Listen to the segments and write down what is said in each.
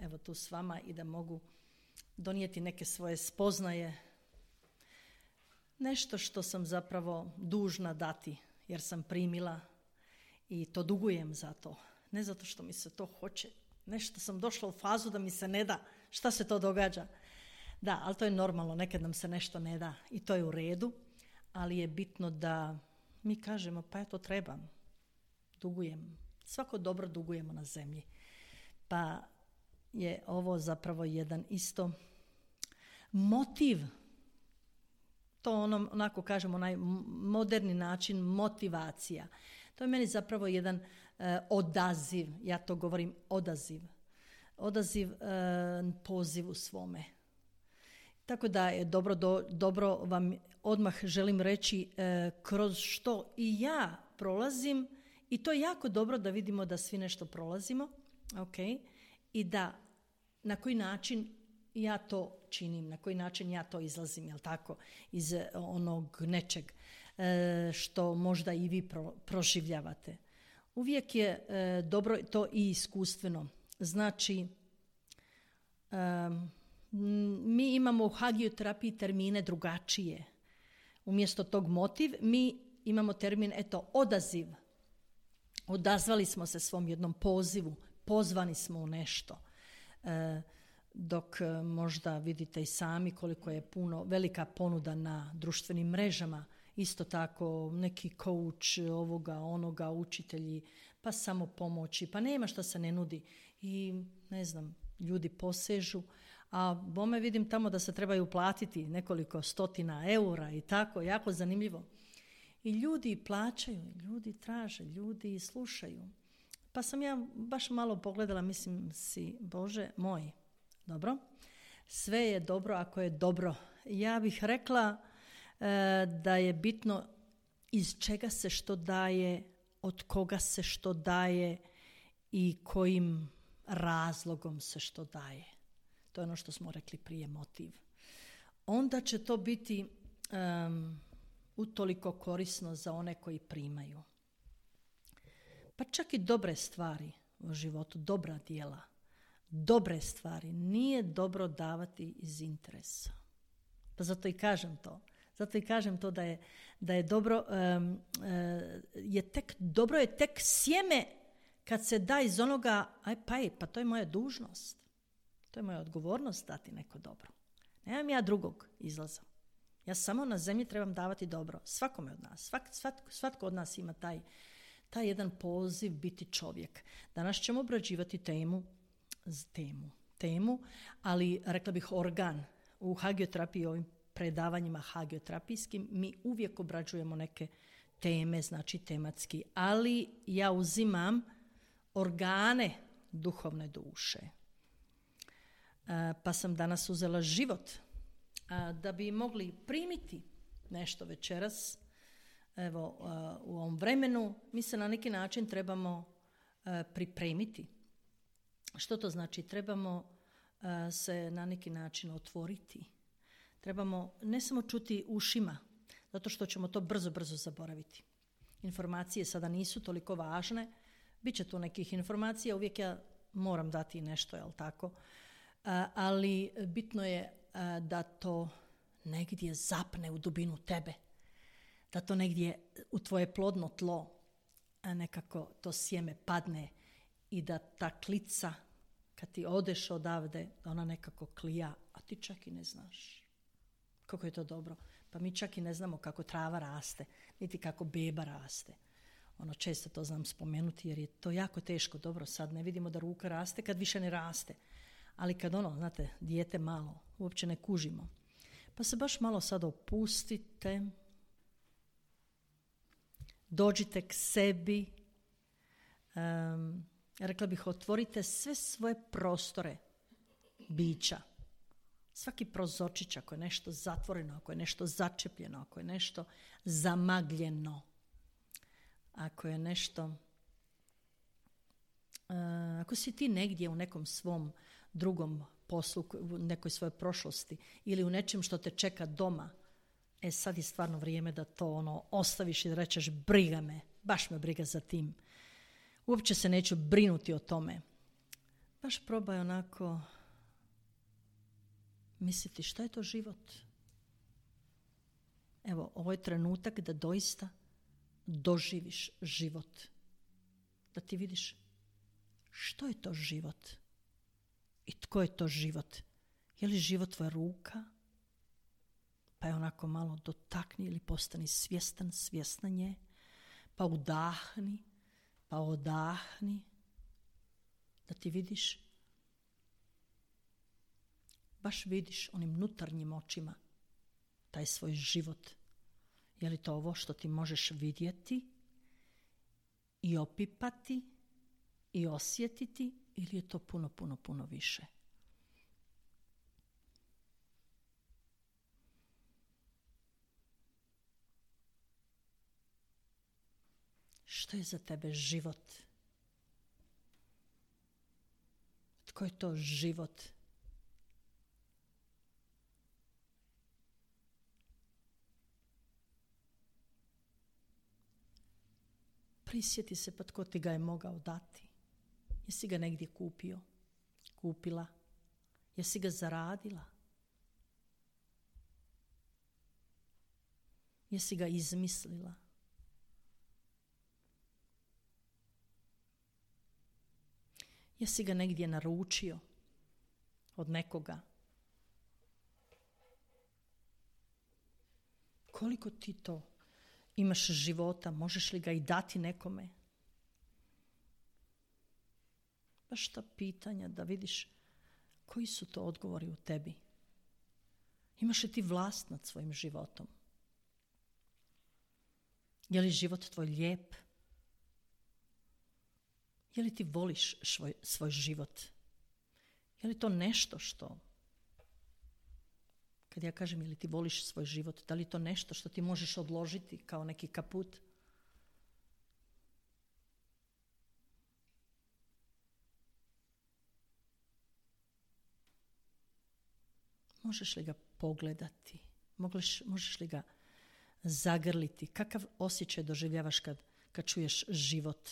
evo tu s vama i da mogu donijeti neke svoje spoznaje. Nešto što sam zapravo dužna dati jer sam primila i to dugujem za to. Ne zato što mi se to hoće. Nešto sam došla u fazu da mi se ne da. Šta se to događa? Da, ali to je normalno. Nekad nam se nešto ne da i to je u redu. Ali je bitno da mi kažemo pa ja to trebam. Dugujem. Svako dobro dugujemo na zemlji. Pa je ovo zapravo jedan isto motiv. To onako kažemo, onaj moderni način motivacija. To je meni zapravo jedan odaziv, ja to govorim odaziv. Odaziv pozivu svome. Tako da je dobro vam odmah želim reći kroz što i ja prolazim i to je jako dobro da vidimo da svi nešto prolazimo, okay? I da na koji način ja to činim, na koji način ja to izlazim, jel tako, iz onog nečeg što možda i vi proživljavate. Uvijek je dobro to i iskustveno. Znači, mi imamo u hagioterapiji termine drugačije. Umjesto tog motiv, mi imamo termin, odaziv. Odazvali smo se svom jednom pozivu, pozvani smo u nešto. Dok možda vidite i sami koliko je velika ponuda na društvenim mrežama, isto tako neki coach, ovoga, onoga, učitelji, pa samo pomoći, pa nema što se ne nudi. I ne znam, ljudi posežu, a bome vidim tamo da se trebaju platiti nekoliko stotina eura i tako, jako zanimljivo. I ljudi plaćaju, ljudi traže, ljudi slušaju. Pa sam ja baš malo pogledala, mislim si, Bože moj, dobro, sve je dobro ako je dobro. Ja bih rekla da je bitno iz čega se što daje, od koga se što daje i kojim razlogom se što daje. To je ono što smo rekli prije, motiv. Onda će to biti utoliko korisno za one koji primaju. Pa čak i dobre stvari u životu, dobra djela, dobre stvari nije dobro davati iz interesa. Pa zato i kažem to. Zato i kažem to da je dobro, dobro je tek sjeme kad se da iz onoga, pa to je moja dužnost. To je moja odgovornost dati neko dobro. Nemam ja drugog izlaza. Ja samo na zemlji trebam davati dobro. Svakome od nas. Svatko od nas ima taj jedan poziv biti čovjek. Danas ćemo obrađivati temu, ali rekla bih organ. U hagioterapiji, ovim predavanjima hagioterapijskim, mi uvijek obrađujemo neke teme, znači tematski, ali ja uzimam organe duhovne duše. Pa sam danas uzela život da bi mogli primiti nešto večeras. Evo, u ovom vremenu mi se na neki način trebamo pripremiti. Što to znači? Trebamo se na neki način otvoriti. Trebamo ne samo čuti ušima, zato što ćemo to brzo zaboraviti. Informacije sada nisu toliko važne, bit će tu nekih informacija, uvijek ja moram dati nešto, jel tako? Ali bitno je da to negdje zapne u dubinu tebe, da to negdje u tvoje plodno tlo nekako to sjeme padne i da ta klica, kad ti odeš odavde, da ona nekako klija, a ti čak i ne znaš. Kako je to dobro. Pa mi čak i ne znamo kako trava raste, niti kako beba raste. Često to znam spomenuti jer je to jako teško. Dobro, sad ne vidimo da ruka raste kad više ne raste. Ali kad znate, dijete malo, uopće ne kužimo. Pa se baš malo sad opustite, dođite k sebi, rekla bih, otvorite sve svoje prostore bića. Svaki prozorčić, ako je nešto zatvoreno, ako je nešto začepljeno, ako je nešto zamagljeno, ako je nešto, ako si ti negdje u nekom svom drugom poslu, u nekoj svojoj prošlosti ili u nečem što te čeka doma, sad je stvarno vrijeme da to ostaviš i da rečeš briga me, baš me briga za tim. Uopće se neću brinuti o tome. Baš probaj onako misliti šta je to život. Evo, ovo je trenutak da doista doživiš život. Da ti vidiš što je to život i tko je to život. Je li život tvoja ruka? Pa je onako malo dotakni ili postani svjesna nje. Pa udahni, pa odahni. Da ti vidiš, baš vidiš onim unutarnjim očima taj svoj život. Je li to ovo što ti možeš vidjeti i opipati i osjetiti ili je to puno više? Što je za tebe život? Tko je to život? Prisjeti se pa tko ti ga je mogao dati. Jesi ga negdje kupio? Kupila? Jesi ga zaradila? Jesi ga izmislila? Jesi ga negdje naručio od nekoga? Koliko ti to imaš života, možeš li ga i dati nekome? Baš ta pitanja da vidiš koji su to odgovori u tebi. Imaš li ti vlast nad svojim životom? Je li život tvoj lijep? Je li ti voliš svoj život? Je li to nešto što, kad ja kažem je li ti voliš svoj život, da li to nešto što ti možeš odložiti kao neki kaput? Možeš li ga pogledati? Možeš li ga zagrliti? Kakav osjećaj doživljavaš kad čuješ život?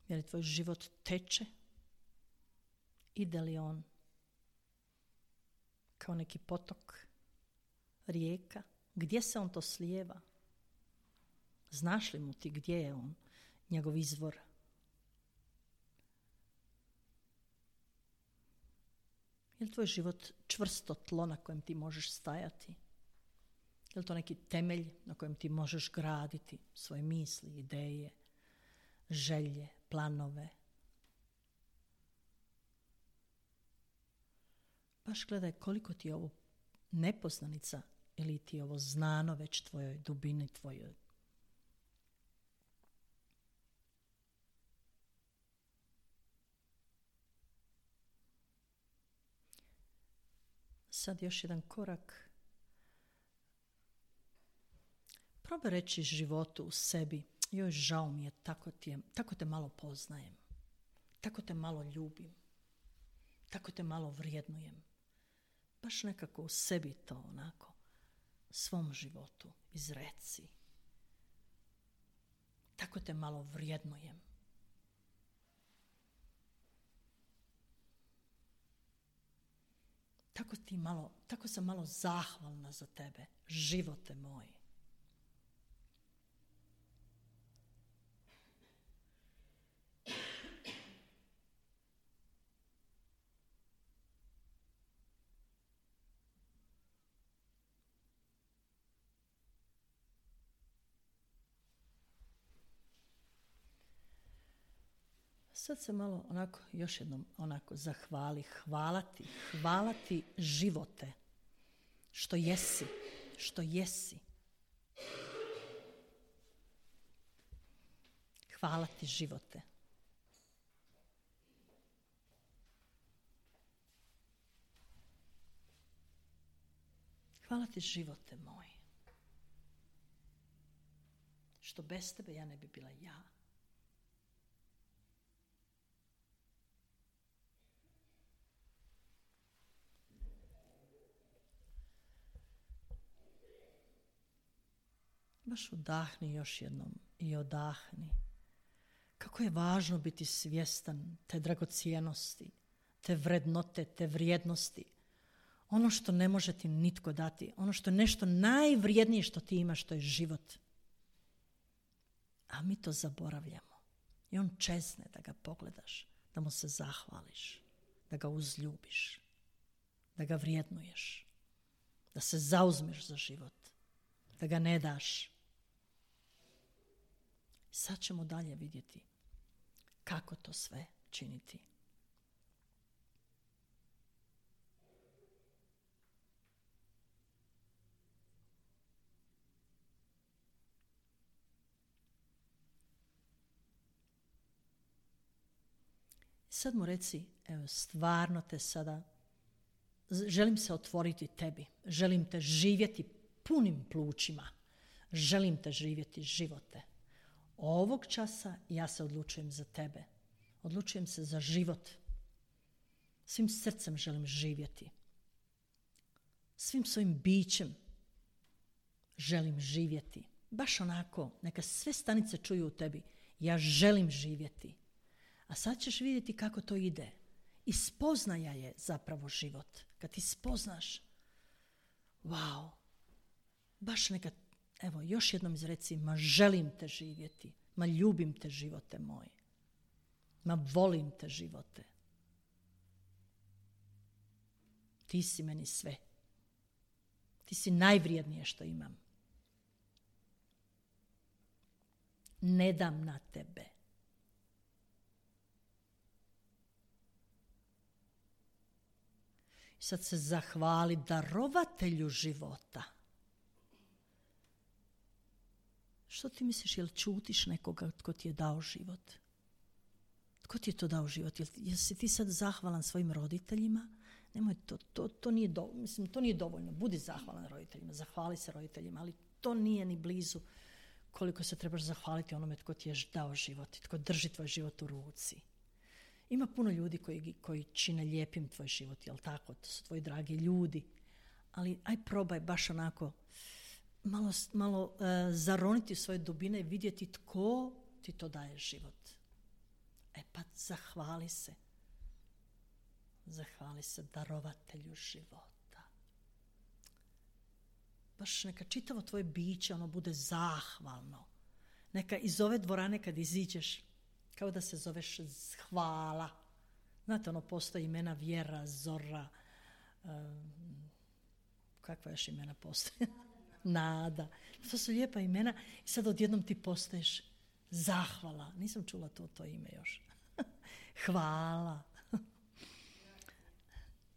Je li tvoj život teče? Ide li on kao neki potok, rijeka? Gdje se on to slijeva? Znaš li mu ti gdje je on, njegov izvor? Je li tvoj život čvrsto tlo na kojem ti možeš stajati? Je li to neki temelj na kojem ti možeš graditi svoje misli, ideje, želje, planove? Baš gledaj koliko ti je ovo nepoznanica ili ti je ovo znano već tvojoj dubini, tvojoj. Sad još jedan korak. Probaj reći životu u sebi: joj, žao mi je, tako te malo poznajem, tako te malo ljubim, tako te malo vrijednujem. Baš nekako u sebi to onako, svom životu izreci. Tako te malo vrijednujem. Tako sam malo zahvalna za tebe, živote moj. Sad se malo onako, još jednom onako zahvali, hvala ti živote, što jesi. Hvala ti, živote. Hvala ti, živote moj. Što bez tebe ja ne bi bila ja. Baš udahni još jednom i odahni. Kako je važno biti svjestan te dragocjenosti, te vrednote, te vrijednosti. Ono što ne može ti nitko dati, ono što je nešto najvrijednije što ti imaš, to je život. A mi to zaboravljamo. I on čezne da ga pogledaš, da mu se zahvališ, da ga uzljubiš, da ga vrijednuješ, da se zauzmeš za život, da ga ne daš. Sad ćemo dalje vidjeti kako to sve činiti. Sad mu reci, evo, stvarno te sada, želim se otvoriti tebi, želim te živjeti punim plućima, želim te živjeti živote. Ovog časa ja se odlučujem za tebe, odlučujem se za život. Svim srcem želim živjeti. Svim svojim bićem želim živjeti. Baš onako, neka sve stanice čuju u tebi, ja želim živjeti. A sad ćeš vidjeti kako to ide. I spoznaja je zapravo život. Kad ti spoznaš, wow, baš neka, evo, još jednom izreci, ma želim te živjeti, ma ljubim te, živote moj, ma volim te, živote. Ti si meni sve. Ti si najvrijednije što imam. Ne dam na tebe. Sad se zahvali darovatelju života. Što ti misliš, jel čutiš nekoga tko ti je dao život? Tko ti je to dao život? Jel si ti sad zahvalan svojim roditeljima? Nemoj to nije mislim, to nije dovoljno. Budi zahvalan roditeljima, zahvali se roditeljima, ali to nije ni blizu koliko se trebaš zahvaliti onome tko ti je dao život, tko drži tvoj život u ruci. Ima puno ljudi koji čine lijepim tvoj život, jel tako? To su tvoji dragi ljudi. Ali aj probaj baš onako malo zaroniti u svoje dubine i vidjeti tko ti to daje život. Pa zahvali se. Zahvali se darovatelju života. Baš neka čitavo tvoje biće ono bude zahvalno. Neka iz ove dvorane kad iziđeš, kao da se zoveš hvala. Znate, ono postoji imena Vjera, Zora, kakva još imena postoje? Nada. To su lijepa imena i sad odjednom ti postaješ zahvala. Nisam čula to ime još. Hvala.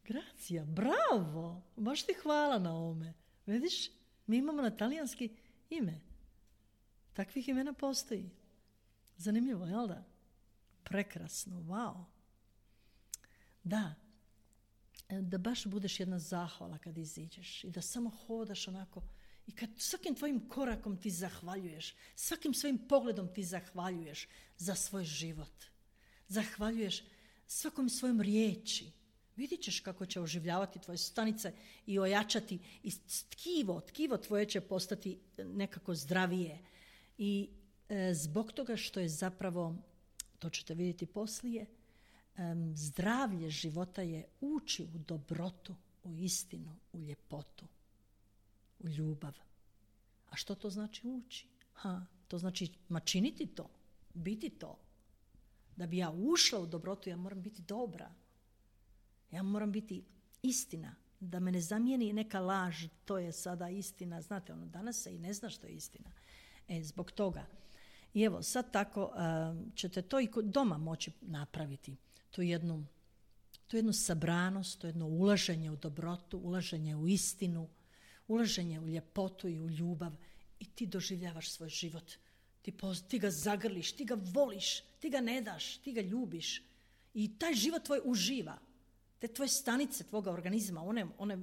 Gracija, bravo. Baš ti hvala na ovome. Vidiš, mi imamo na talijanski ime. Takvih imena postoji. Zanimljivo, jel da? Prekrasno, wow. Da baš budeš jedna zahvala kad iziđeš i da samo hodaš onako i kad svakim tvojim korakom ti zahvaljuješ, svakim svojim pogledom ti zahvaljuješ za svoj život. Zahvaljuješ svakom svojom riječi. Vidit ćeš kako će oživljavati tvoje stanice i ojačati i tkivo tvoje će postati nekako zdravije. I zbog toga što je zapravo, to ćete vidjeti poslije, zdravlje života je ući u dobrotu, u istinu, u ljepotu, u ljubav. A što to znači ući? To znači činiti to, biti to. Da bi ja ušla u dobrotu, ja moram biti dobra. Ja moram biti istina. Da me ne zamijeni neka laž, to je sada istina. Znate, danas se i ne zna što je istina. Zbog toga. I evo, sad tako ćete to i doma moći napraviti. Tu jednu sabranost, to jedno ulaženje u dobrotu, ulaženje u istinu, ulaženje u ljepotu i u ljubav i ti doživljavaš svoj život Ti ga zagrliš, ti ga voliš, ti ga ne daš, ti ga ljubiš. I taj život tvoj uživa. Te tvoje stanice tvoga organizma, one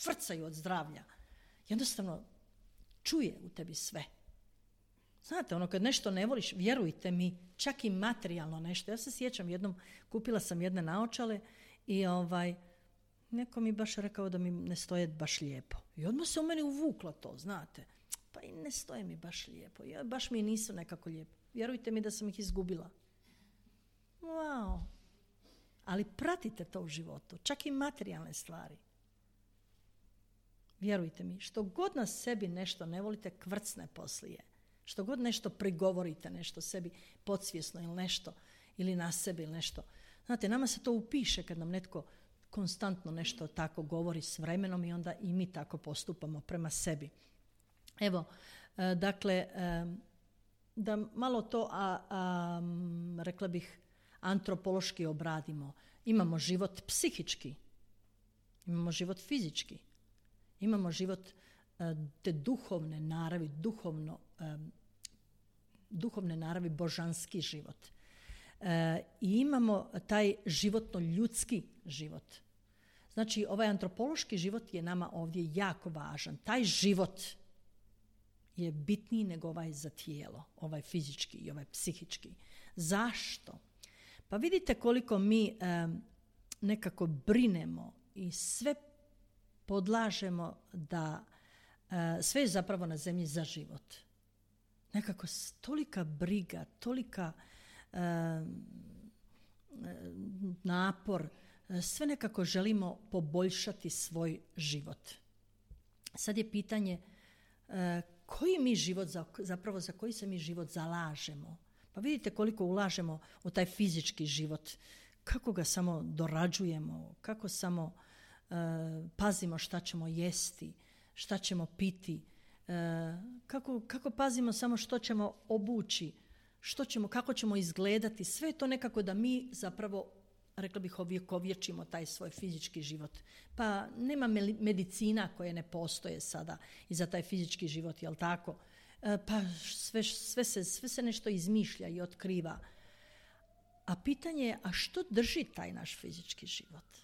frcaju od zdravlja. Jednostavno čuje u tebi sve. Znate, kad nešto ne voliš, vjerujte mi, čak i materijalno nešto. Ja se sjećam jednom, kupila sam jedne naočale i neko mi baš rekao da mi ne stoje baš lijepo. I odmah se u meni uvuklo to, znate. Pa i ne stoje mi baš lijepo. Baš mi nisu nekako lijepo. Vjerujte mi da sam ih izgubila. Wow. Ali pratite to u životu. Čak i materijalne stvari. Vjerujte mi, što god na sebi nešto ne volite, kvrcne poslije. Što god nešto prigovorite, nešto sebi podsvjesno ili nešto, ili na sebi ili nešto. Znate, nama se to upiše kad nam netko konstantno nešto tako govori s vremenom i onda i mi tako postupamo prema sebi. Evo, dakle, da malo to, rekla bih, antropološki obradimo. Imamo život psihički, imamo život fizički, imamo život te duhovne naravi, duhovne naravi, božanski život. I imamo taj životno-ljudski život. Znači, ovaj antropološki život je nama ovdje jako važan. Taj život je bitniji nego ovaj za tijelo, ovaj fizički i ovaj psihički. Zašto? Pa vidite koliko mi nekako brinemo i sve podlažemo da sve je zapravo na zemlji za život. Nekako tolika briga, tolika napor, sve nekako želimo poboljšati svoj život. Sad je pitanje koji mi život, zapravo za koji se mi život zalažemo. Pa vidite koliko ulažemo u taj fizički život, kako ga samo dorađujemo, kako samo pazimo šta ćemo jesti, šta ćemo piti, kako pazimo samo što ćemo obući, kako ćemo izgledati. Sve je to nekako da mi zapravo, rekla bih, ovjekovječimo taj svoj fizički život. Pa nema medicina koje ne postoje sada i za taj fizički život, jel tako? Pa sve se nešto izmišlja i otkriva. A pitanje je, a što drži taj naš fizički život?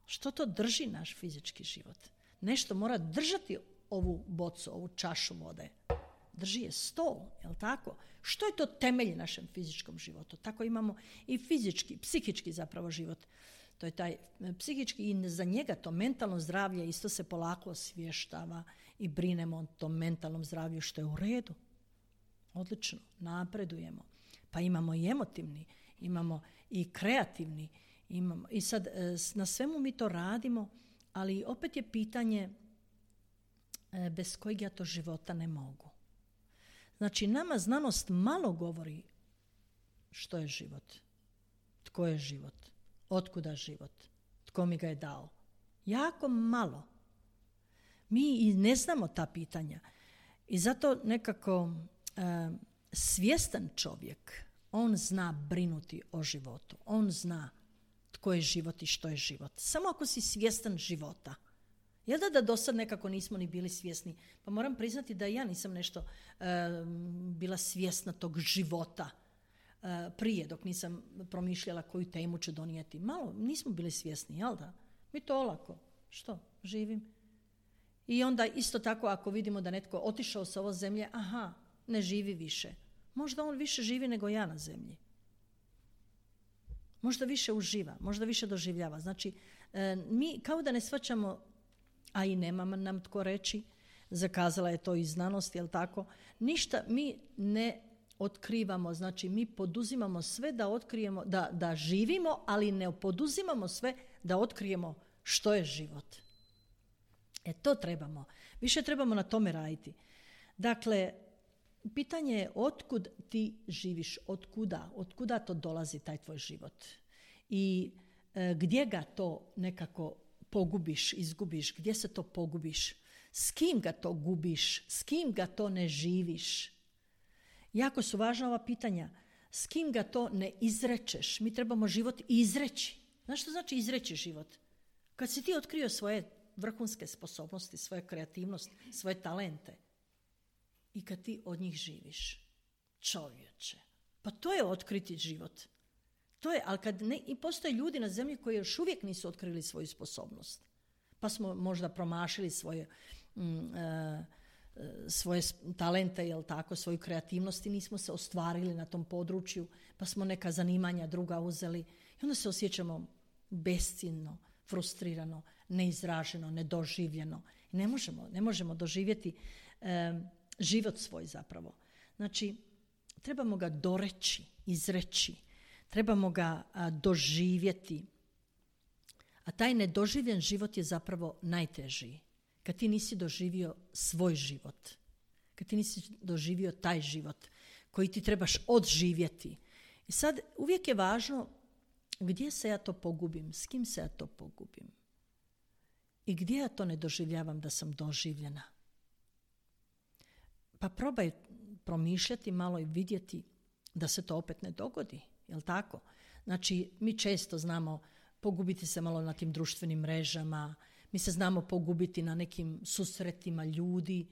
Što to drži naš fizički život? Nešto mora držati ovu bocu, ovu čašu vode. Drži je stol, jel tako? Što je to temelj našem fizičkom životu? Tako imamo i fizički, psihički zapravo život. To je taj psihički i za njega to mentalno zdravlje isto se polako osvještava i brinemo o tom mentalnom zdravlju, što je u redu. Odlično, napredujemo. Pa imamo i emotivni, imamo i kreativni, imamo. I sad na svemu mi to radimo, ali opet je pitanje bez kojeg ja to života ne mogu. Znači, nama znanost malo govori što je život, tko je život, otkuda život, tko mi ga je dao. Jako malo. Mi i ne znamo ta pitanja. I zato nekako svjestan čovjek, on zna brinuti o životu. On zna tko je život i što je život. Samo ako si svjestan života. Jel da do sad nekako nismo ni bili svjesni? Pa moram priznati da ja nisam nešto bila svjesna tog života prije, dok nisam promišljala koju temu ću donijeti. Malo nismo bili svjesni, jel da? Mi to olako. Što? Živim. I onda isto tako ako vidimo da netko otišao sa ove zemlje, ne živi više. Možda on više živi nego ja na zemlji. Možda više uživa, možda više doživljava. Znači, mi kao da ne shvaćamo, a i nema nam tko reći, zakazala je to i znanost, jel tako? Ništa mi ne otkrivamo, znači mi poduzimamo sve da otkrijemo, da živimo, ali ne poduzimamo sve da otkrijemo što je život. To trebamo. Više trebamo na tome raditi. Dakle, pitanje je otkud ti živiš, otkuda to dolazi taj tvoj život i gdje ga to nekako pogubiš, izgubiš, gdje se to pogubiš, s kim ga to gubiš, s kim ga to ne živiš. Jako su važna ova pitanja. S kim ga to ne izrečeš? Mi trebamo život izreći. Znaš što znači izreći život? Kad si ti otkrio svoje vrhunske sposobnosti, svoje kreativnost, svoje talente i kad ti od njih živiš. Čovječe, pa to je otkriti život. To je, ali kad i postoje ljudi na zemlji koji još uvijek nisu otkrili svoju sposobnost. Pa smo možda promašili svoje talente, jel tako, svoju kreativnost i nismo se ostvarili na tom području, pa smo neka zanimanja druga uzeli i onda se osjećamo besciljno, frustrirano, neizraženo, nedoživljeno. Ne možemo doživjeti život svoj zapravo. Znači, trebamo ga doreći, izreći, trebamo ga doživjeti. A taj nedoživljen život je zapravo najtežiji. Kad ti nisi doživio svoj život, kad ti nisi doživio taj život koji ti trebaš odživjeti. I sad uvijek je važno gdje se ja to pogubim, s kim se ja to pogubim i gdje ja to ne doživljavam da sam doživljena. Pa probaj promišljati malo i vidjeti da se to opet ne dogodi, jel tako? Znači, mi često znamo pogubiti se malo na tim društvenim mrežama, mi se znamo pogubiti na nekim susretima ljudi,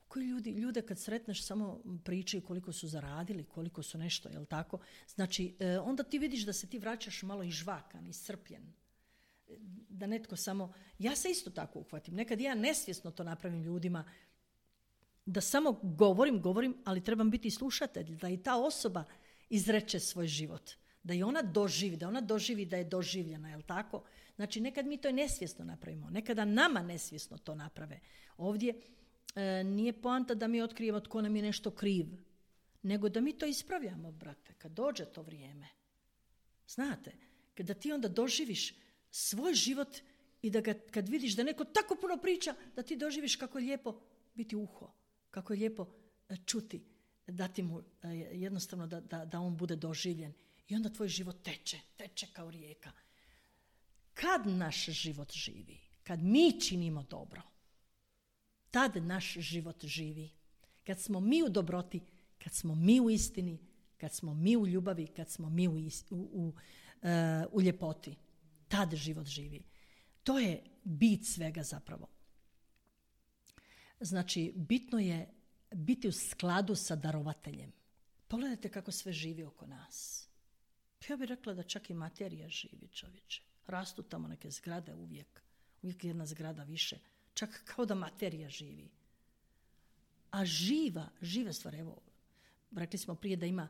koji ljude kad sretneš samo pričaju koliko su zaradili, koliko su nešto, jel tako? Znači, onda ti vidiš da se ti vraćaš malo izžvakan, iscrpljen. Da netko samo... Ja se isto tako uhvatim. Nekad ja nesvjesno to napravim ljudima, da samo govorim, ali trebam biti slušatelj, da i ta osoba izreče svoj život. Da i ona doživi da je doživljena, jel tako? Znači, nekad mi to i nesvjesno napravimo. Nekada nama nesvjesno to naprave. Ovdje nije poanta da mi otkrijemo tko nam je nešto kriv, nego da mi to ispravljamo, brate, kad dođe to vrijeme. Znate, kada ti onda doživiš svoj život i da ga, kad vidiš da neko tako puno priča, da ti doživiš kako je lijepo biti uho, kako je lijepo čuti, dati mu jednostavno da on bude doživljen. I onda tvoj život teče kao rijeka. Kad naš život živi, kad mi činimo dobro, tad naš život živi. Kad smo mi u dobroti, kad smo mi u istini, kad smo mi u ljubavi, kad smo mi u ljepoti, tad život živi. To je bit svega zapravo. Znači, bitno je biti u skladu sa darovateljem. Pogledajte kako sve živi oko nas. Ja bih rekla da čak i materija živi, čovječe. Rastu tamo neke zgrade uvijek jedna zgrada više. Čak kao da materija živi. A živa stvar, evo, rekli smo prije da ima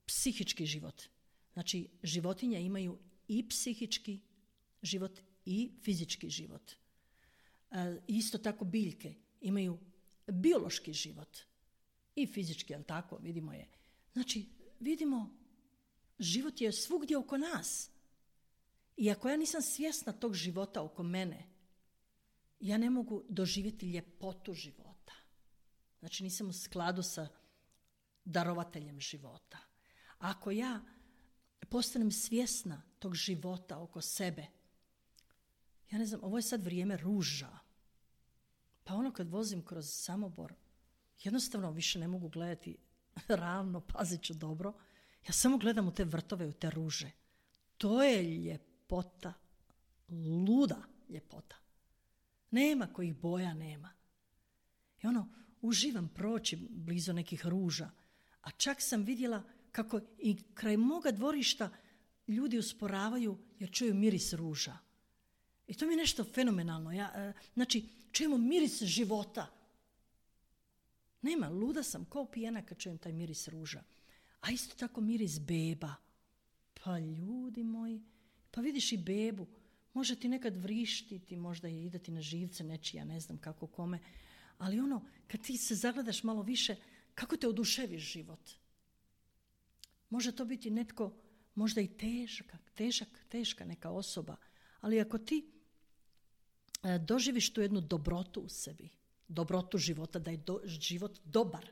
psihički život. Znači, životinje imaju i psihički život i fizički život. Isto tako biljke imaju biološki život i fizički, jel tako, vidimo je. Znači, vidimo, život je svugdje oko nas. I ako ja nisam svjesna tog života oko mene, ja ne mogu doživjeti ljepotu života. Znači, nisam u skladu sa darovateljem života. Ako ja postanem svjesna tog života oko sebe, ja ne znam, ovo je sad vrijeme ruža. Pa ono kad vozim kroz Samobor, jednostavno više ne mogu gledati ravno, pazit ću dobro. Ja samo gledam u te vrtove, u te ruže. To je ljepota, luda ljepota. Nema kojih boja nema. I uživam proći blizu nekih ruža. A čak sam vidjela kako i kraj moga dvorišta ljudi usporavaju jer čuju miris ruža. I to mi je nešto fenomenalno. Znači, čujemo miris života. Nema, luda sam, kao pijena kad čujem taj miris ruža. A isto tako miris beba. Pa ljudi moji, pa vidiš i bebu. Može ti nekad vrištiti, možda i idati na živce nečija, ne znam kako kome. Ali kad ti se zagledaš malo više, kako te oduševiš život? Može to biti netko, možda i teška neka osoba. Ali ako ti doživiš tu jednu dobrotu u sebi, dobrotu života, da je život dobar,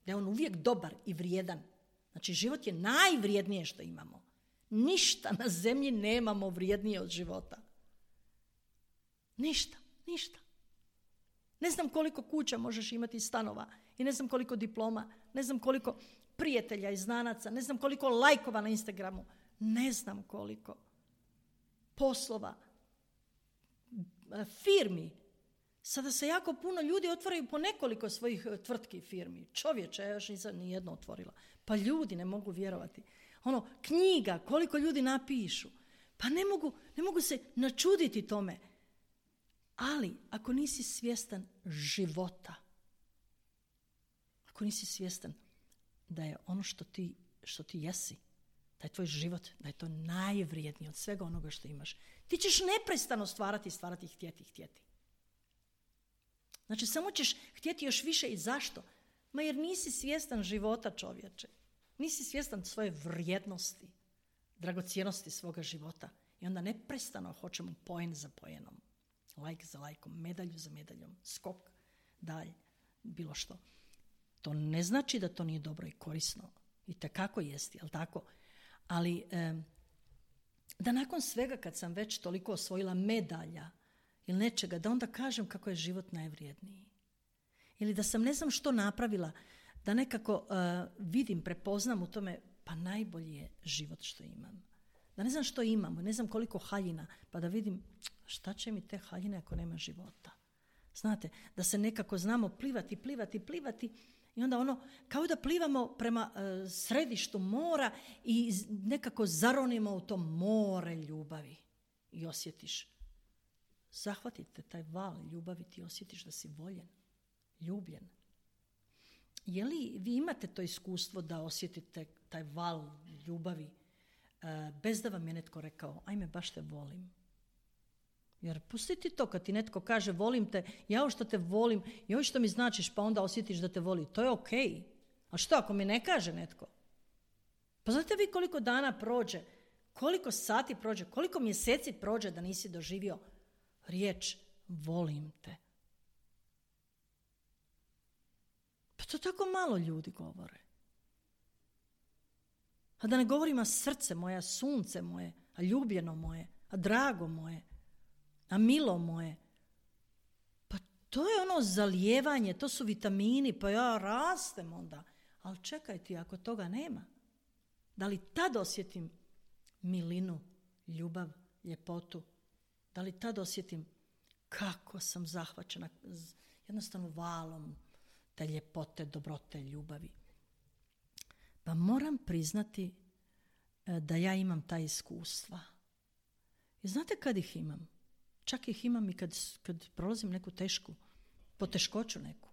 da je on uvijek dobar i vrijedan. Znači, život je najvrijednije što imamo. Ništa na zemlji nemamo vrijednije od života. Ništa. Ne znam koliko kuća možeš imati stanova i ne znam koliko diploma, ne znam koliko prijatelja i znanaca, ne znam koliko lajkova na Instagramu, ne znam koliko poslova, firmi. Sada se jako puno ljudi otvaraju po nekoliko svojih tvrtki i firmi. Čovječe, ja još nisam ni jedno otvorila. Pa ljudi ne mogu vjerovati. Knjiga, koliko ljudi napišu. Pa ne mogu se načuditi tome. Ali, ako nisi svjestan života, ako nisi svjestan da je ono što ti jesi, da je tvoj život, da je to najvrijednije od svega onoga što imaš, ti ćeš neprestano stvarati, htjeti. Znači, samo ćeš htjeti još više. I zašto? Jer nisi svjestan života, čovječe. Nisi svjestan svoje vrijednosti, dragocjenosti svoga života. I onda neprestano hoćemo poen za poenom, lajk za lajkom, medalju za medaljom, skok, dalje, bilo što. To ne znači da to nije dobro i korisno. I tekako jesti, jel tako? Ali da nakon svega, kad sam već toliko osvojila medalja ili nečega, da onda kažem kako je život najvrijedniji. Ili da sam ne znam što napravila, da nekako vidim, prepoznam u tome, pa najbolji je život što imam. Da ne znam što imamo, ne znam koliko haljina, pa da vidim šta će mi te haljine ako nema života. Znate, da se nekako znamo plivati i onda kao da plivamo prema središtu mora i nekako zaronimo u to more ljubavi i osjetiš. Zahvatite taj val ljubavi, ti osjetiš da si voljen, ljubljen. Je li vi imate to iskustvo da osjetite taj val ljubavi bez da vam je netko rekao, ajme, baš te volim? Jer pustiti to kad ti netko kaže volim te, ja što te volim, joj što mi značiš, pa onda osjetiš da te voli. To je okej. A što ako mi ne kaže netko? Pa znate vi koliko dana prođe, koliko sati prođe, koliko mjeseci prođe da nisi doživio riječ volim te? Pa to tako malo ljudi govore. A da ne govorim, a srce moje, a sunce moje, a ljubljeno moje, a drago moje, a milo moje. Pa to je zalijevanje, to su vitamini, pa ja rastem onda. Ali čekaj ti, ako toga nema, da li tad osjetim milinu, ljubav, ljepotu? Da li tad osjetim kako sam zahvaćena jednostavno valom te ljepote, dobrote, ljubavi? Pa moram priznati da ja imam ta iskustva. I znate kad ih imam? Čak ih imam i kad prolazim neku tešku, poteškoću neku.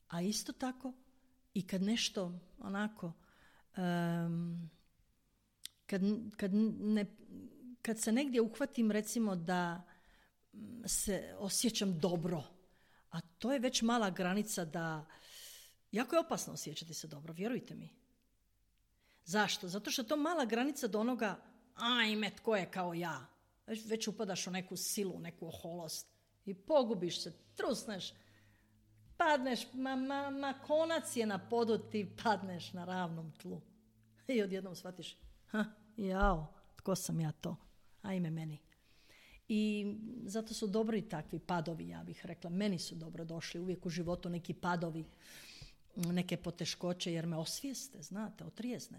A isto tako i kad nešto onako, kad se negdje uhvatim, recimo da se osjećam dobro, a to je već mala granica da, jako je opasno osjećati se dobro, vjerujte mi. Zašto? Zato što je to mala granica do onoga, ajme, tko je kao ja. Već upadaš u neku silu, neku oholost i pogubiš se, trusneš, padneš, konac je na podu, ti padneš na ravnom tlu. I odjednom shvatiš, jao, tko sam ja to? Ajme meni. I zato su dobri takvi padovi, ja bih rekla. Meni su dobro došli uvijek u životu neki padovi, neke poteškoće, jer me osvijeste, znate, otrijeznu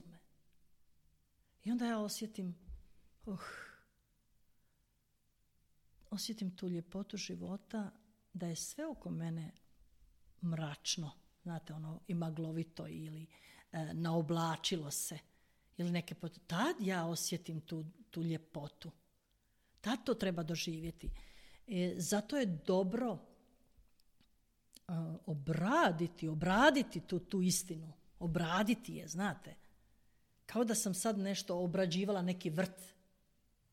me. I onda ja osjetim tu ljepotu života, da je sve oko mene mračno, znate, i maglovito ili naoblačilo se. Ili tad ja osjetim tu ljepotu. Tad to treba doživjeti. Zato je dobro obraditi tu istinu. Obraditi je, znate. Kao da sam sad nešto obrađivala, neki vrt.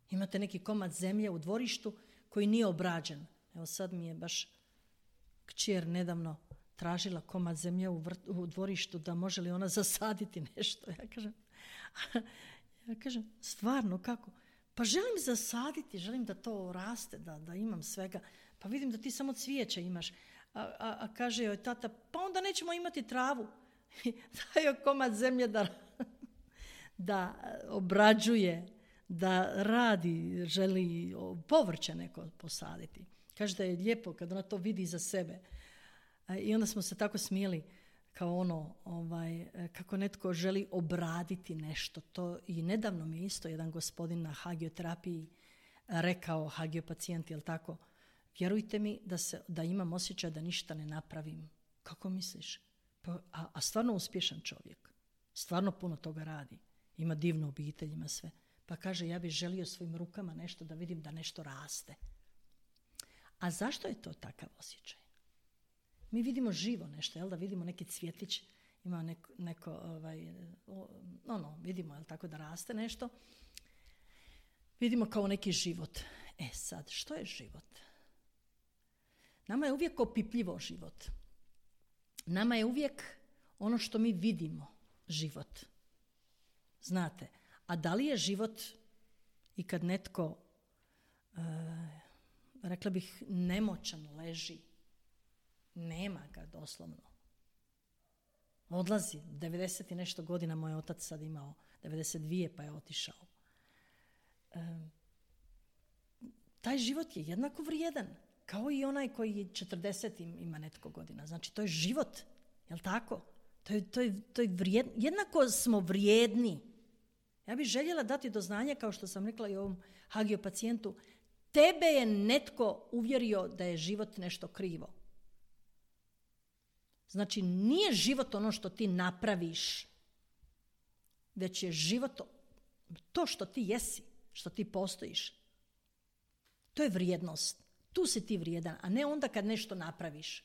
Imate neki komad zemlje u dvorištu koji nije obrađen. Evo sad mi je baš kćer nedavno tražila komad zemlje u dvorištu da može li ona zasaditi nešto. Ja kažem, stvarno kako? Pa želim zasaditi, želim da to raste, da imam svega. Pa vidim da ti samo cvijeće imaš. A kaže joj tata, pa onda nećemo imati travu. Daj joj komad zemlje da obrađuje, da radi, želi povrće neko posaditi. Kaže da je lijepo kad ona to vidi za sebe. I onda smo se tako smijeli kao kako netko želi obraditi nešto. To i nedavno mi isto jedan gospodin na hagioterapiji rekao hagiopacijent, jel tako? Vjerujte mi da imam osjećaj da ništa ne napravim. Kako misliš? A stvarno uspješan čovjek. Stvarno puno toga radi. Ima divnu obitelj, ima sve. Pa kaže, ja bih želio svojim rukama nešto da vidim da nešto raste. A zašto je to takav osjećaj? Mi vidimo živo nešto, jel da vidimo neki cvjetić, ima vidimo, jel tako, da raste nešto. Vidimo kao neki život. Sad, što je život? Nama je uvijek opipljivo život. Nama je uvijek ono što mi vidimo život. Znate, a da li je život i kad netko, rekla bih, nemoćan leži, nema ga doslovno. Odlazi, 90 i nešto godina moj otac sad imao, 92 pa je otišao. Taj život je jednako vrijedan, kao i onaj koji 40 ima netko godina. Znači, to je život, jel tako? To je vrijedno. Jednako smo vrijedni. Ja bih željela dati do znanja, kao što sam rekla i ovom hagiopacijentu, tebe je netko uvjerio da je život nešto krivo. Znači, nije život ono što ti napraviš, već je život to što ti jesi, što ti postojiš. To je vrijednost. Tu si ti vrijedan, a ne onda kad nešto napraviš.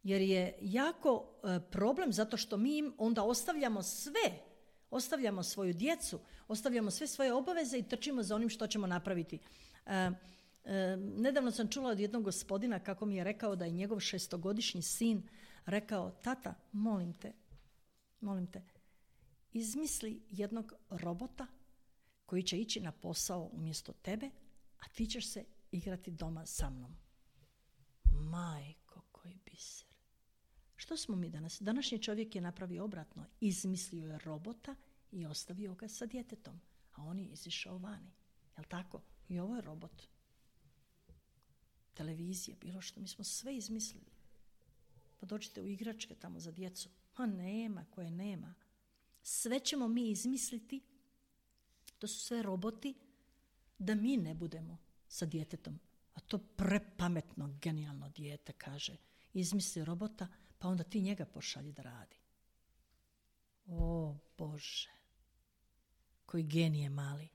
Jer je jako problem zato što mi onda ostavljamo sve. Ostavljamo svoju djecu, ostavljamo sve svoje obaveze i trčimo za onim što ćemo napraviti. Nedavno sam čula od jednog gospodina kako mi je rekao da je njegov 6-godišnji sin rekao, tata, molim te, izmisli jednog robota koji će ići na posao umjesto tebe, a ti ćeš se igrati doma sa mnom. Majko, koji biser. Što smo mi danas? Današnji čovjek je napravio obratno. Izmislio je robota i ostavio ga sa djetetom. A on je izišao vani. Jel' tako? I ovo je robot. Televizija, bilo što. Mi smo sve izmislili. Pa dođite u igračke tamo za djecu. A nema, koje nema. Sve ćemo mi izmisliti. To su sve roboti da mi ne budemo sa djetetom. A to prepametno, genijalno dijete kaže. Izmisli robota, pa onda ti njega pošalji da radi. O Bože, koji genije mali.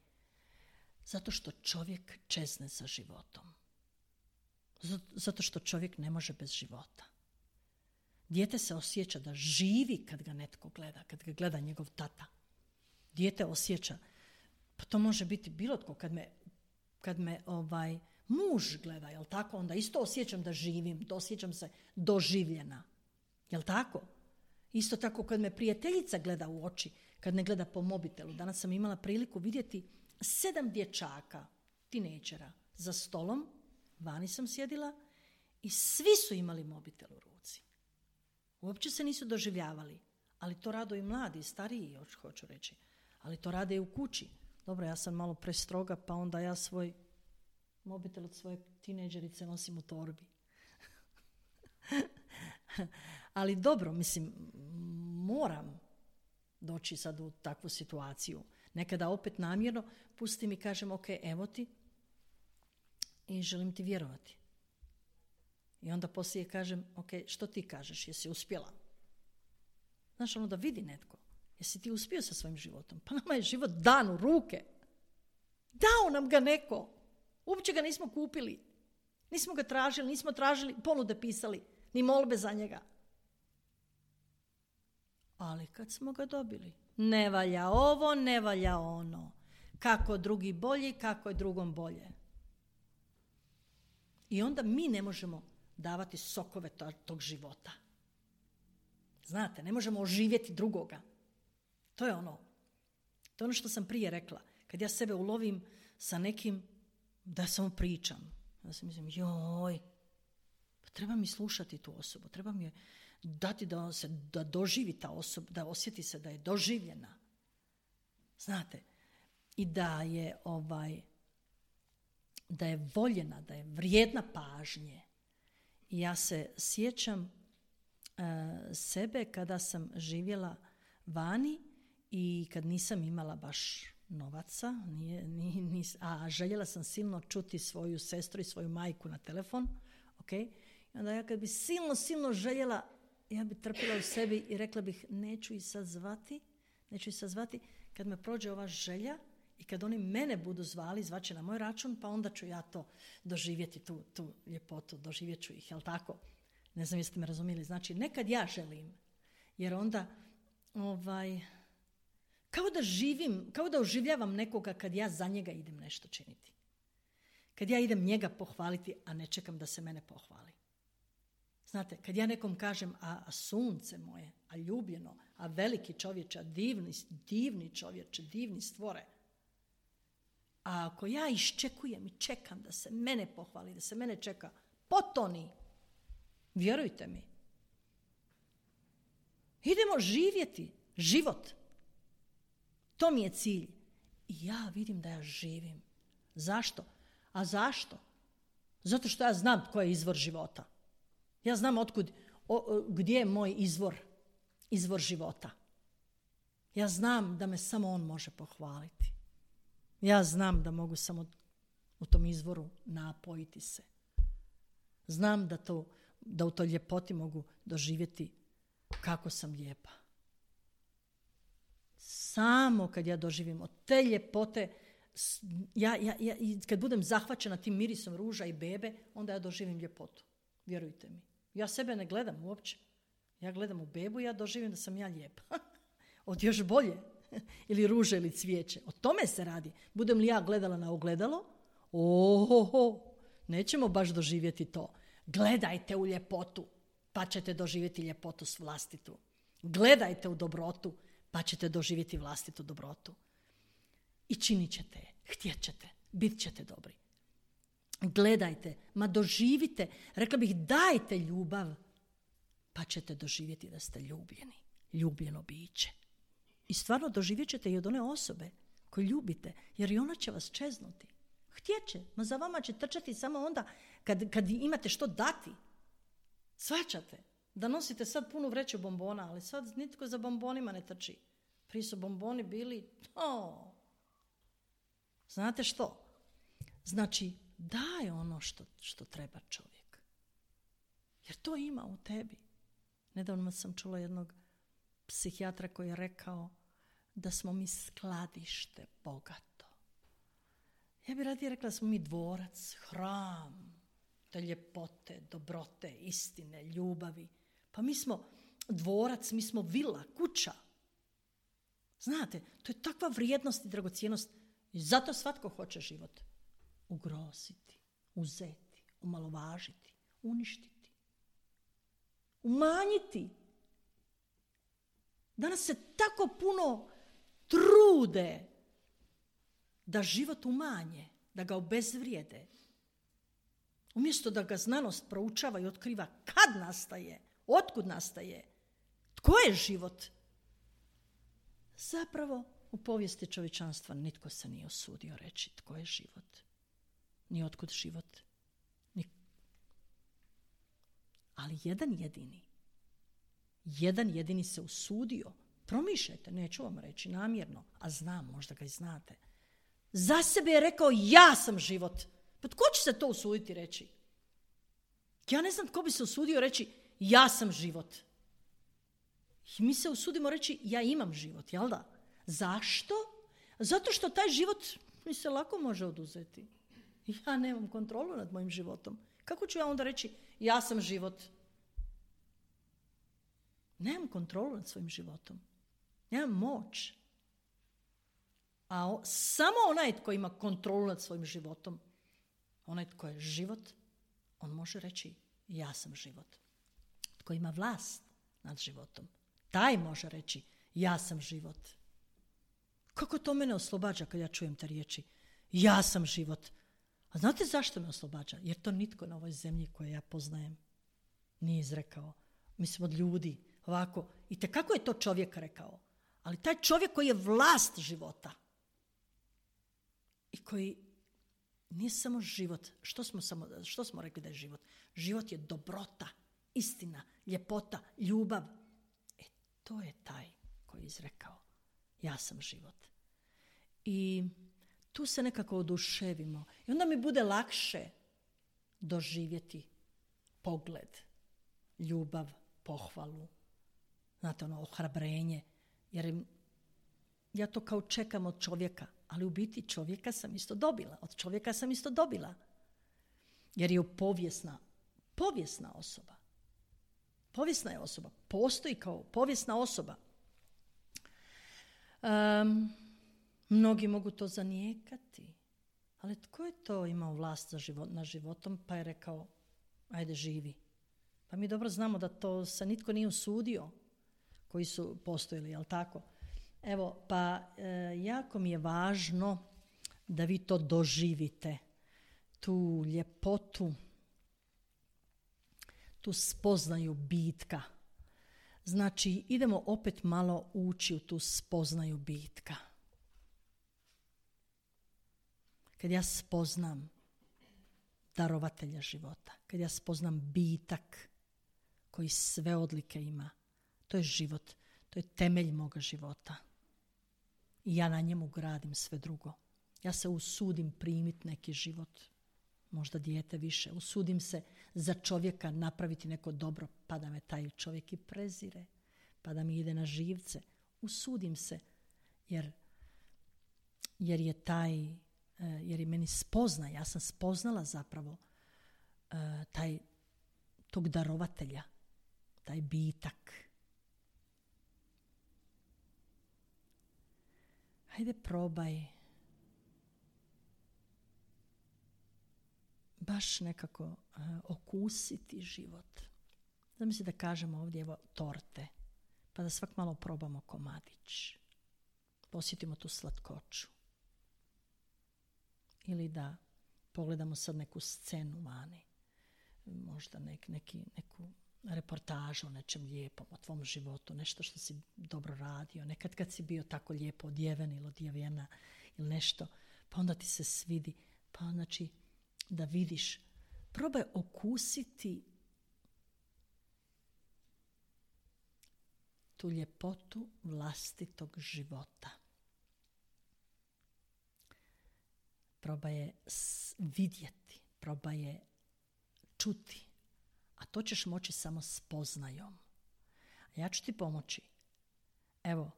Zato što čovjek čezne za životom. Zato što čovjek ne može bez života. Dijete se osjeća da živi kad ga netko gleda, kad ga gleda njegov tata. Dijete osjeća, pa to može biti bilo tko, kad me muž gleda, jel tako, onda isto osjećam da živim, osjećam se doživljena. Jel tako? Isto tako kad me prijateljica gleda u oči, kad ne gleda po mobitelu. Danas sam imala priliku vidjeti 7 dječaka, tinejdžera, za stolom, vani sam sjedila i svi su imali mobitel u ruci. Uopće se nisu doživljavali, ali to rado i mladi, stariji, hoću reći, ali to rade i u kući. Dobro, ja sam malo prestroga, pa onda ja svoj mobitel od svoje tinejdžerice nosim u torbi. Ali dobro, mislim, moram doći sad u takvu situaciju. Nekada opet namjerno pustim i kažem, ok, evo ti i želim ti vjerovati. I onda poslije kažem, ok, što ti kažeš, jesi uspjela? Znaš, ono da vidi netko, jesi ti uspio sa svojim životom? Pa nama je život dan u ruke. Dao nam ga neko. Uopće ga nismo kupili. Nismo ga tražili, nismo tražili, ponude pisali, ni molbe za njega. Ali kad smo ga dobili, ne valja ovo, ne valja ono. Kako drugi bolji, kako je drugom bolje. I onda mi ne možemo davati sokove tog života. Znate, ne možemo oživjeti drugoga. To je ono što sam prije rekla. Kad ja sebe ulovim sa nekim, da samo pričam. Ja sam mislim, pa treba mi slušati tu osobu, treba mi je dati da doživi ta osoba, da osjeti se da je doživljena. Znate, i da je voljena, da je vrijedna pažnje. I ja se sjećam sebe kada sam živjela vani i kad nisam imala baš novaca, a željela sam silno čuti svoju sestru i svoju majku na telefon. Okay? I onda ja kad bi silno željela, ja bi trpila u sebi i rekla bih neću ih sad zvati. Kad me prođe ova želja i kad oni mene budu zvali, zvaće na moj račun, pa onda ću ja to doživjeti, tu ljepotu, doživjet ću ih, jel tako? Ne znam jeste me razumjeli. Znači, nekad ja želim, jer onda kao da oživljavam nekoga kad ja za njega idem nešto činiti. Kad ja idem njega pohvaliti, a ne čekam da se mene pohvali. Znate, kad ja nekom kažem, a sunce moje, a ljubljeno, a veliki čovječe, a divni čovječe, divni stvore. A ako ja iščekujem i čekam da se mene pohvali, da se mene čeka, potoni, vjerujte mi. Idemo živjeti život. To mi je cilj. I ja vidim da ja živim. Zašto? A zašto? Zato što ja znam tko je izvor života. Ja znam gdje je moj izvor života. Ja znam da me samo on može pohvaliti. Ja znam da mogu samo u tom izvoru napojiti se. Znam da u toj ljepoti mogu doživjeti kako sam lijepa. Samo kad ja doživim od te ljepote, ja kad budem zahvaćena tim mirisom ruža i bebe, onda ja doživim ljepotu. Vjerujte mi. Ja sebe ne gledam uopće. Ja gledam u bebu i ja doživim da sam ja lijepa. Od još bolje. Ili ruže ili cvijeće. O tome se radi. Budem li ja gledala na ogledalo? Nećemo baš doživjeti to. Gledajte u ljepotu, pa ćete doživjeti ljepotu vlastitu. Gledajte u dobrotu, pa ćete doživjeti vlastitu dobrotu. I činit ćete je, htjet ćete, bit ćete dobri. Gledajte, doživite, rekla bih dajte ljubav, pa ćete doživjeti da ste ljubljeni, ljubljeno biće. I stvarno doživjet ćete i od one osobe koju ljubite, jer i ona će vas čeznuti. Htjet će, za vama će trčati samo onda kad imate što dati. Shvaćate da nosite sad punu vreću bombona, ali sad nitko za bombonima ne trči. Prije su bomboni bili, znate što? Znači, daj ono što treba čovjek. Jer to ima u tebi. Nedavno sam čula jednog psihijatra koji je rekao da smo mi skladište bogato. Ja bih radije rekla da smo mi dvorac, hram, te ljepote, dobrote, istine, ljubavi. Pa mi smo dvorac, mi smo vila, kuća. Znate, to je takva vrijednost i dragocjenost i zato svatko hoće život ugroziti, uzeti, omalovažiti, uništiti, umanjiti. Danas se tako puno trude da život umanje, da ga obezvrijede. Umjesto da ga znanost proučava i otkriva kad nastaje, otkud nastaje, tko je život. Zapravo, u povijesti čovječanstva nitko se nije usudio reći tko je život, ni otkud život. Ali jedan jedini se usudio. Promišljajte, neću vam reći namjerno, a znam, možda ga i znate. Za sebe je rekao, ja sam život. Pa tko će se to usuditi reći? Ja ne znam tko bi se usudio reći, ja sam život. I mi se usudimo reći, ja imam život, jel da? Zašto? Zato što taj život mi se lako može oduzeti. Ja nemam kontrolu nad mojim životom. Kako ću ja onda reći, ja sam život? Nemam kontrolu nad svojim životom. Nemam moć. A samo onaj tko ima kontrolu nad svojim životom, onaj tko je život, on može reći, ja sam život. Tko ima vlast nad životom, taj može reći, ja sam život. Kako to mene oslobađa kad ja čujem te riječi? Ja sam život. A znate zašto me oslobađa? Jer to nitko na ovoj zemlji koju ja poznajem nije izrekao. Mislim od ljudi, ovako. I kako je to čovjek rekao? Ali taj čovjek koji je vlast života i koji nije samo život. Što smo rekli da je život? Život je dobrota, istina, ljepota, ljubav. To je taj koji je izrekao. Ja sam život. I tu se nekako oduševimo. I onda mi bude lakše doživjeti pogled, ljubav, pohvalu, znate, ohrabrenje. Jer ja to kao čekam od čovjeka, ali u biti čovjeka sam isto dobila. Od čovjeka sam isto dobila. Jer je povijesna osoba. Povijesna je osoba. Postoji kao povijesna osoba. Mnogi mogu to zanijekati. Ali tko je to imao vlast nad životom pa je rekao, ajde živi. Pa mi dobro znamo da to se nitko nije usudio koji su postojali, jel tako? Evo, pa jako mi je važno da vi to doživite. Tu ljepotu, tu spoznaju bitka. Znači, idemo opet malo ući u tu spoznaju bitka. Kad ja spoznam darovatelja života, kad ja spoznam bitak koji sve odlike ima, to je život, to je temelj moga života. I ja na njemu gradim sve drugo. Ja se usudim primiti neki život, možda dijete više. Usudim se za čovjeka napraviti neko dobro, pa da me taj čovjek i prezire, pa da mi ide na živce. Usudim se, jer je meni spoznaje. Ja sam spoznala zapravo tog darovatelja, taj bitak. Hajde probaj baš nekako okusiti život. Zamisli da kažemo ovdje evo torte, pa da svak malo probamo komadić. Posjetimo tu slatkoću. Ili da pogledamo sad neku scenu vani, možda neku reportažu o nečem lijepom, o tvom životu, nešto što si dobro radio, nekad kad si bio tako lijepo odjeven ili odjevena ili nešto, pa onda ti se svidi, pa znači da vidiš, probaj okusiti tu ljepotu vlastitog života. Probaj je vidjeti, probaj je čuti, a to ćeš moći samo spoznajom. A ja ću ti pomoći. Evo,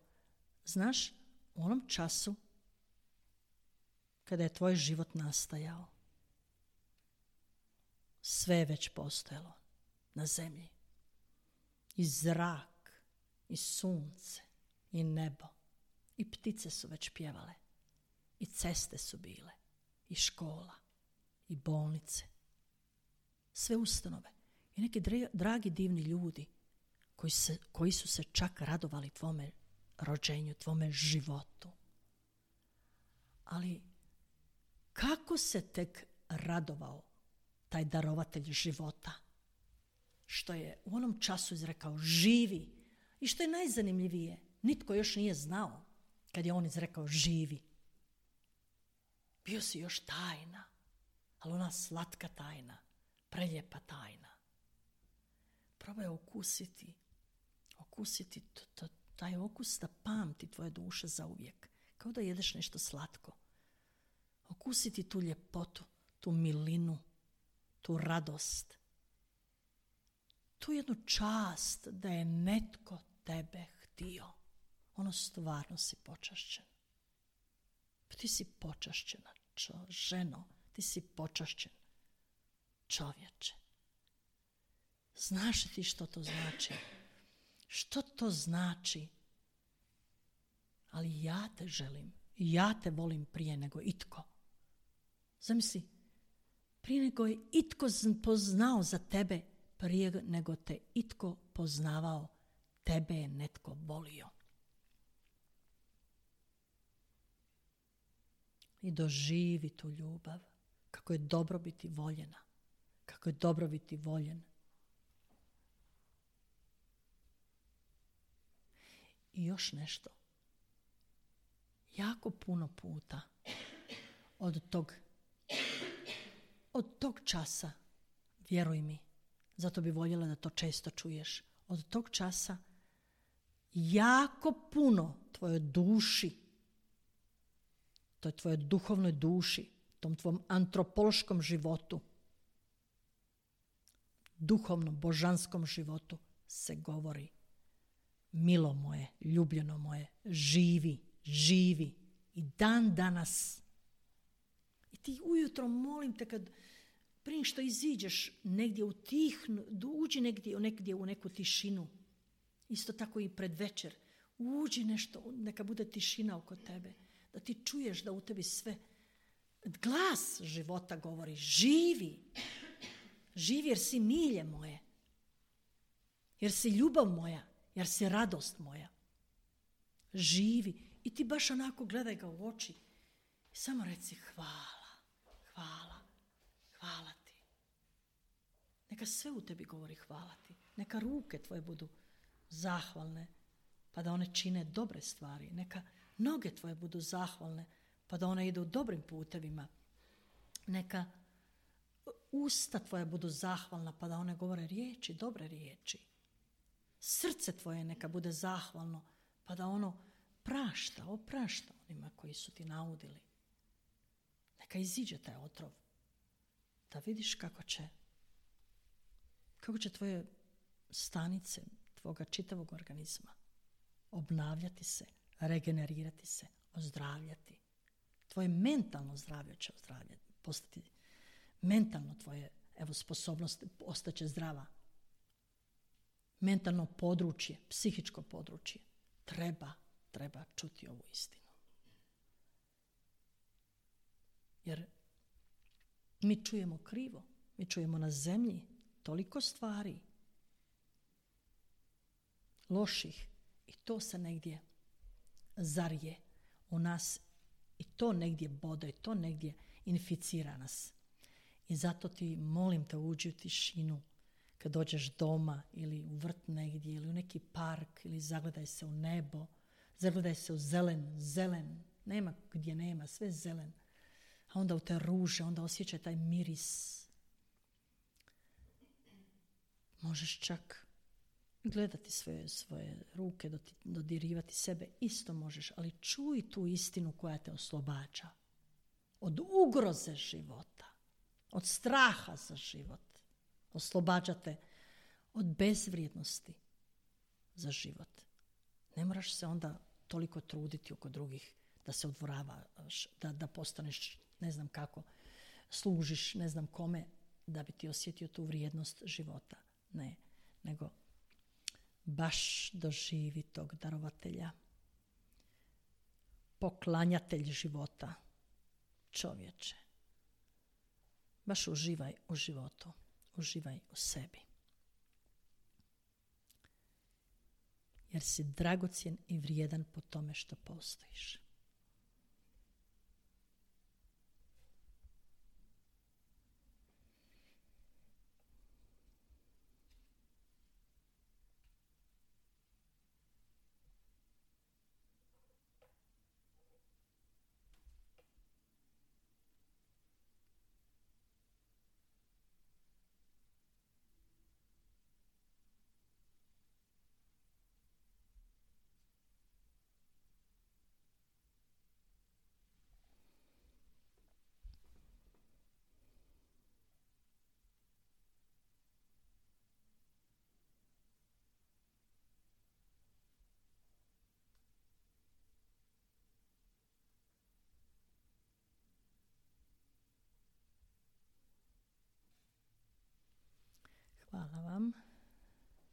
znaš, u onom času kada je tvoj život nastajao, sve je već postojalo na zemlji. I zrak, i sunce, i nebo, i ptice su već pjevale, i ceste su bile, i škola, i bolnice, sve ustanove. I neki dragi divni ljudi koji su se čak radovali tvome rođenju, tvome životu. Ali kako se tek radovao taj darovatelj života, što je u onom času izrekao živi, i što je najzanimljivije, nitko još nije znao kad je on izrekao živi. Bio si još tajna, ali ona slatka tajna, preljepa tajna. Probaj okusiti taj okus da pamti tvoje duše zauvijek, kao da jedeš nešto slatko. Okusiti tu ljepotu, tu milinu, tu radost, tu jednu čast da je netko tebe htio. Ono stvarno si počašćen. Ti si počašćena ženo, ti si počašćen čovječe. Znaš li ti što to znači? Što to znači? Ali ja te želim, ja te volim prije nego itko. Zamisli, prije nego je itko poznao za tebe, prije nego te itko poznavao, tebe je netko volio. I doživi tu ljubav, kako je dobro biti voljena, kako je dobro biti voljen. I još nešto. Jako puno puta od tog časa, vjeruj mi, zato bi voljela da to često čuješ, od tog časa jako puno tvojoj duši toj tvojoj duhovnoj duši, tom tvom antropološkom životu, duhovnom, božanskom životu se govori: milo moje, ljubljeno moje, živi i dan danas. I ti ujutro, molim te, prije što iziđeš negdje uđi negdje u neku tišinu. Isto tako i pred večer. Uđi nešto, neka bude tišina oko tebe. Da ti čuješ da u tebi sve, glas života govori: živi jer si milje moje, jer si ljubav moja, jer si radost moja. Živi. I ti baš onako gledaj ga u oči i samo reci: hvala ti. Neka sve u tebi govori hvala ti. Neka ruke tvoje budu zahvalne, pa da one čine dobre stvari. Neka noge tvoje budu zahvalne, pa da one idu dobrim putevima. Neka usta tvoje budu zahvalna, pa da one govore riječi, dobre riječi. Srce tvoje neka bude zahvalno, pa da ono oprašta onima koji su ti naudili. Neka iziđe taj otrov, da vidiš kako će tvoje stanice, tvoga čitavog organizma obnavljati se, regenerirati se, ozdravljati. Tvoje mentalno zdravlje će postati mentalno tvoje, sposobnost ostaće zdrava. Mentalno područje, psihičko područje treba čuti ovu istinu. Jer mi čujemo krivo, mi čujemo na zemlji toliko stvari loših i to se negdje zarije u nas i to negdje bode i to negdje inficira nas. I zato ti, molim te, uđi u tišinu kad dođeš doma ili u vrt negdje ili u neki park ili zagledaj se u nebo, zagledaj se u zelen, nema gdje nema, sve zelen. A onda u te ruže, onda osjećaj taj miris. Možeš čak gledati svoje ruke, dodirivati sebe, isto možeš, ali čuj tu istinu koja te oslobađa od ugroze života, od straha za život. Oslobađa te od bezvrijednosti za život. Ne moraš se onda toliko truditi oko drugih da se odvoravaš, da postaneš ne znam kako, služiš ne znam kome da bi ti osjetio tu vrijednost života. Ne, nego baš doživi tog darovatelja, poklanjatelj života, čovječe. Baš uživaj u životu, uživaj u sebi. Jer si dragocjen i vrijedan po tome što postojiš.